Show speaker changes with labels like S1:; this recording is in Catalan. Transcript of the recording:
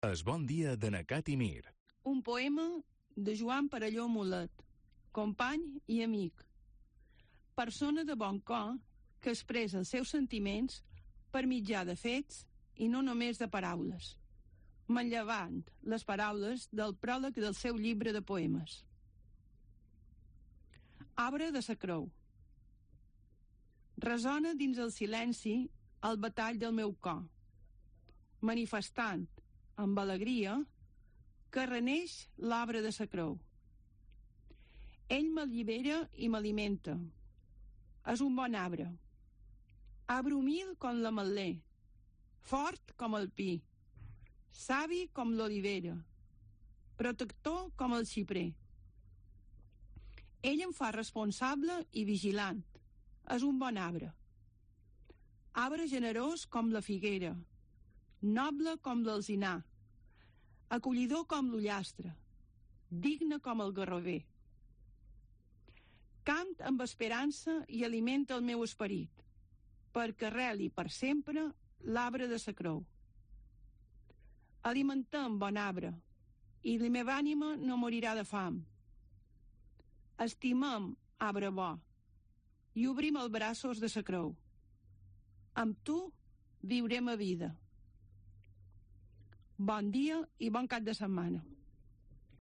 S1: Es bon dia de Nacat i Mir.
S2: Un poema de Joan Perelló Mulet, company i amic. Persona de bon cor que expressa els seus sentiments per mitjà de fets i no només de paraules, manllevant les paraules del pròleg del seu llibre de poemes. Arbre de sa creu. Resona dins el silenci el batall del meu cor, manifestant amb alegria que reneix l'arbre de sa creu. Ell m'allibera i m'alimenta. És un bon arbre. Arbre humil com l'ametler, fort com el pi, savi com l'olivera, protector com el xiprer. Ell em fa responsable i vigilant. És un bon arbre. Arbre generós com la figuera, noble com l'alzinar, acollidor com l'ullastre, digne com el garrover. Cant amb esperança i alimenta el meu esperit, perquè arreli per sempre l'arbre de sa creu. Alimentem bon arbre, i la meva ànima no morirà de fam. Estimem arbre bo, i obrim els braços de sa creu. Amb tu viurem a vida. Bon dia i bon cap de setmana.